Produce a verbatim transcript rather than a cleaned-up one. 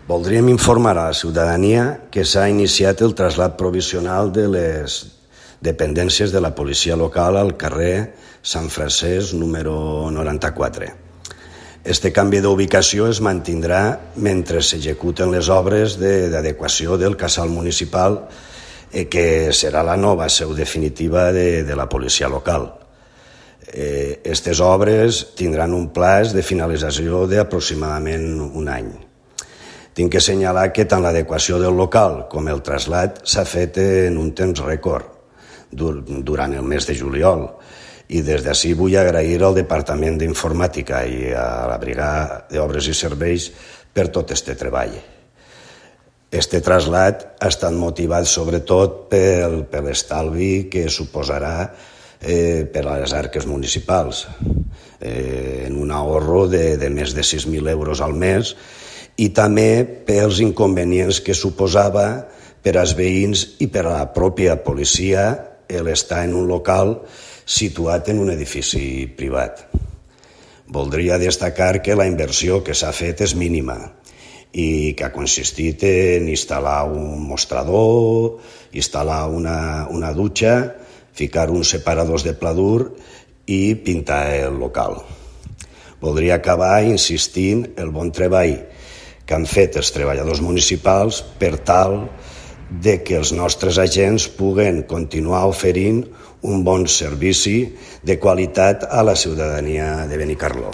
Voldríem informar a la ciutadania que s'ha iniciat el trasllat provisional de les dependències de la policia local al carrer Sant Francesc número noranta-quatre. Este canvi d'ubicació es mantindrà mentre s'executen les obres d'adequació del casal municipal, eh, que serà la nova seu definitiva de, de la policia local. Aquestes eh, obres tindran un plaç de finalització d'aproximadament un any. Tinc que assenyalar que tant l'adequació del local com el trasllat s'ha fet en un temps rècord durant el mes de juliol, i des d'ací vull agrair al Departament d'Informàtica i a la Brigada d'Obres i Serveis per tot este treball. Este trasllat ha estat motivat sobretot per, per l'estalvi que suposarà eh, per a les arques municipals, eh, en un ahorro de, de més de sis mil euros al mes, i també pels inconvenients que suposava per als veïns i per a la pròpia policia l'estar en un local situat en un edifici privat. Voldria destacar que la inversió que s'ha fet és mínima i que ha consistit en instal·lar un mostrador, instal·lar una, una dutxa, ficar uns separadors de pladur i pintar el local. Voldria acabar insistint el bon treball que han fet els treballadors municipals per tal de que els nostres agents puguen continuar oferint un bon servici de qualitat a la ciutadania de Benicarló.